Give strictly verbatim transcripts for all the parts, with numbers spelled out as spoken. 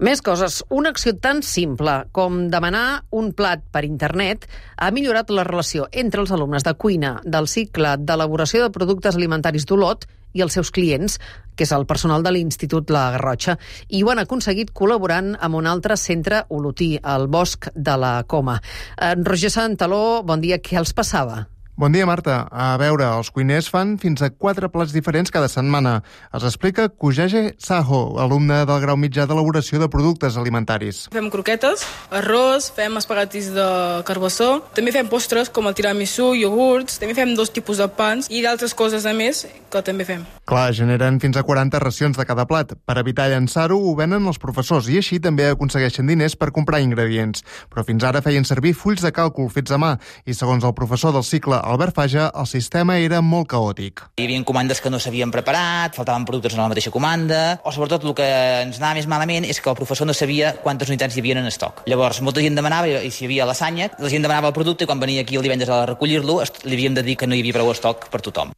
Més coses. Una acció tan simple com demanar un plat per internet ha millorat la relació entre els alumnes de cuina del cicle d'elaboració de productes alimentaris d'Olot i els seus clients, que és el personal de l'Institut La Garrotxa, i ho han aconseguit col·laborant amb un altre centre olotí, el Bosc de la Coma. En Roger Santaló, bon dia, què els passava? Bon dia, Marta. A veure, els cuiners fan fins a quatre plats diferents cada setmana. Els explica Kujaje Saho, alumne del grau mitjà d'elaboració de productes alimentaris. Fem croquetes, arròs, fem espaguetis de carbassó, també fem postres com el tiramisú, iogurts, també fem dos tipus de pans i d'altres coses a més que també fem. Clar, generen fins a quaranta racions de cada plat. Per evitar llançar-ho, ho venen els professors i així també aconsegueixen diners per comprar ingredients. Però fins ara feien servir fulls de càlcul fets a mà i, segons el professor del cicle, Albert Faja, el sistema era molt caòtic. Hi havia comandes que no s'havien preparat, faltaven productes en la mateixa comanda, o sobretot el que ens anava més malament és que el professor no sabia quantes unitats hi havia en estoc. Llavors, molta gent demanava, i si hi havia lasanya, la gent demanava el producte i quan venia aquí el divendres a recollir-lo li havíem de dir que no hi havia prou estoc per tothom.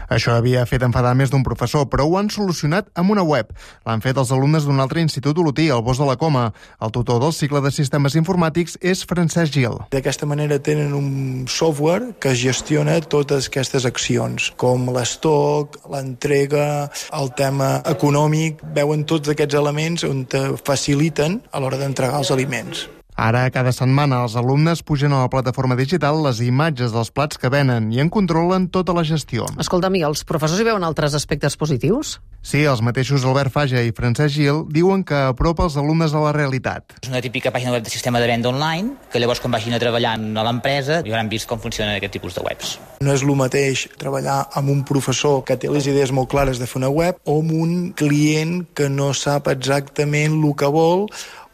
Això havia fet enfadar més d'un professor, però ho han solucionat amb una web. L'han fet els alumnes d'un altre institut olotí, el Bosc de la Coma. El tutor del cicle de sistemes informàtics és Francesc Gil. D'aquesta manera tenen un software que gestiona totes aquestes accions, com l'estoc, l'entrega, el tema econòmic. Veuen tots aquests elements on te faciliten a l'hora d'entregar els aliments. Ara, cada setmana, els alumnes pugen a la plataforma digital les imatges dels plats que venen i en controlen tota la gestió. Escolta'm, i els professors hi veuen altres aspectes positius? Sí, els mateixos Albert Faja i Francesc Gil diuen que apropa els alumnes a la realitat. És una típica pàgina web de sistema de venda online, que llavors quan vagin a treballar a l'empresa ja hauran vist com funcionen aquest tipus de webs. No és el mateix treballar amb un professor que té les idees molt clares de fer una web o amb un client que no sap exactament el que vol.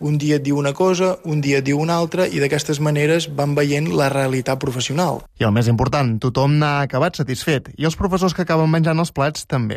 Un dia et diu una cosa, un dia et diu una altra, i d'aquestes maneres van veient la realitat professional. I el més important, tothom n'ha acabat satisfet, i els professors que acaben menjant els plats també.